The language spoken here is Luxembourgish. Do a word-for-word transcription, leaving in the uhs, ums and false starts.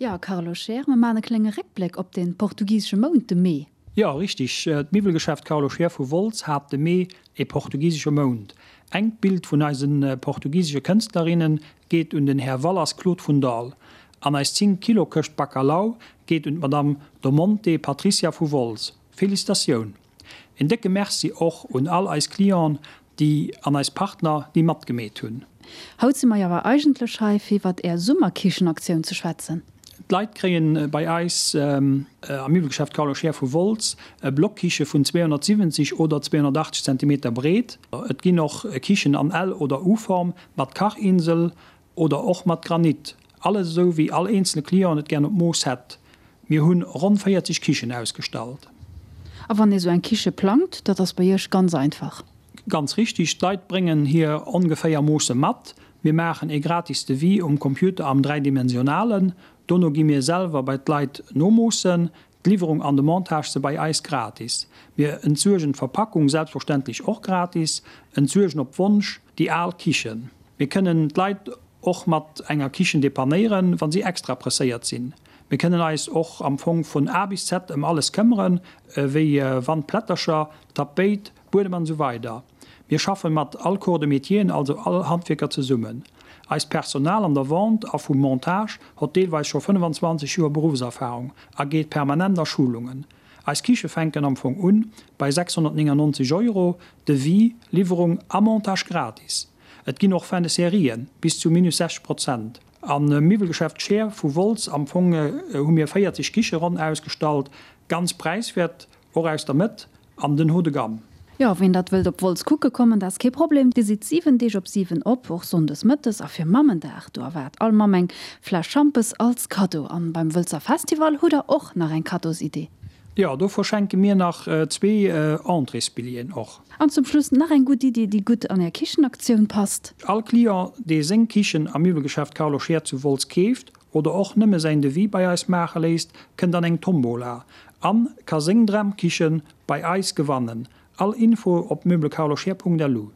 Jo, Carlo Scheer, mir maachen e klénge Réckbléck op de portugisesche Mount, de Mee. Jo, richteg. D'Miwwelgeschäft Carlo Scheer vu Wolz hat de Mee e portugisesche Mount. Engt Bild vun eise portugisesche Kënstlerinne geet un den Här Wallas Claude vun Dall. An eis zéng Kilo Këscht Bacalhau geet un d'Madame Domonte Patricia vu Wolz. Felicitatioun! En décke Merci och un all eis Clienten, déi an eis Partner, déi matgemeet hunn. Haut si mer jo awer eigentlech hei, fir iwwert Är Summerkichenaktioun ze schwätzen. D'Leit kréien bei eis am Miwwelgeschäft Carlo Scheer vu Wolz e Blockkiche vun zweehonnertsiwwenzeg oder zweehonnertachtzeg Zentimeter breet. Et ginn och Kichen an L oder U-Form mat Kachinsel oder och mat Granit. Alles esou wéi all eenzele Client et gären op Mooss hätt. Mir hunn ronn véierzeg Kichen ausgestallt. A wann ee sou eng Kiche plangt, dat ass bei Iech ganz einfach? Ganz richtig, d'Leit bréngen hir ongeféier Moosse mat. Mir maachen ee gratis Devis um Computer am dräidimensionalen. Dono gi mir selwer bei d'Leit nomoossen. D'Liwwerung an de Montage si bei eis gratis. Mir entsuergen d'Verpackung selbstverständlech och gratis, entsuergen op Wonsch déi al Kichen. Mir kënnen d'Leit och mat enger Kichen depannéieren, wa si extra presséiert sinn. Mir kënnen eis och am Fong vun A bis Z ëm alles këmmeren, wéi Wandplättercher, Tapéit, Buedem an esou weider. Mir schaffe mat all Corps de métieren, also all Handwierker zesummen. Eist Personal an der Vente a vum Montage hott deelweis scho fënnefenzwanzeg Joer Beruffserfahrung a geet permanent a Schulungen. Eis Kiche fänken am Fong un bei sechshonnertnéngannonzeg Euro, Devis, Liwwerung a Montage gratis. Et ginn och Fin de Serien, bis zu minus sechzeg Prozent. Am Miwwelgeschäft Scheer vu Wolz am Fong hu mir véierzeg Kiche ronn ausgestallt, ganz präiswäert, och aus der Mëtt an den Haut de gamme. Jo, ween dat wëllt op Wolz kucke kommen, dat ass kee Problem. Dir sidd siwen Deeg op siwen op, och sonndes mëttes. A fir Mammendag, do erwaart all Mamm eng Fläsch Schampes als Kaddo. An beim Wëlzer Festival hutt der och nach eng Kaddosidee. Jo, do verschenke mir nach zwee Entréesbilleten och. An zum Schluss nach eng gutt Iddi, déi gutt an är Kichenaktioun passt. All Client, dee seng Kichen am Miwwelgeschäft Carlo Scheer zu Wolz keeft oder och nëmme säin Devis bei eis maache léisst, kënnt an eng Tombola an ka seng Dramkichen bei eis gewannen. All Info op meublescarloscheer punkt lu.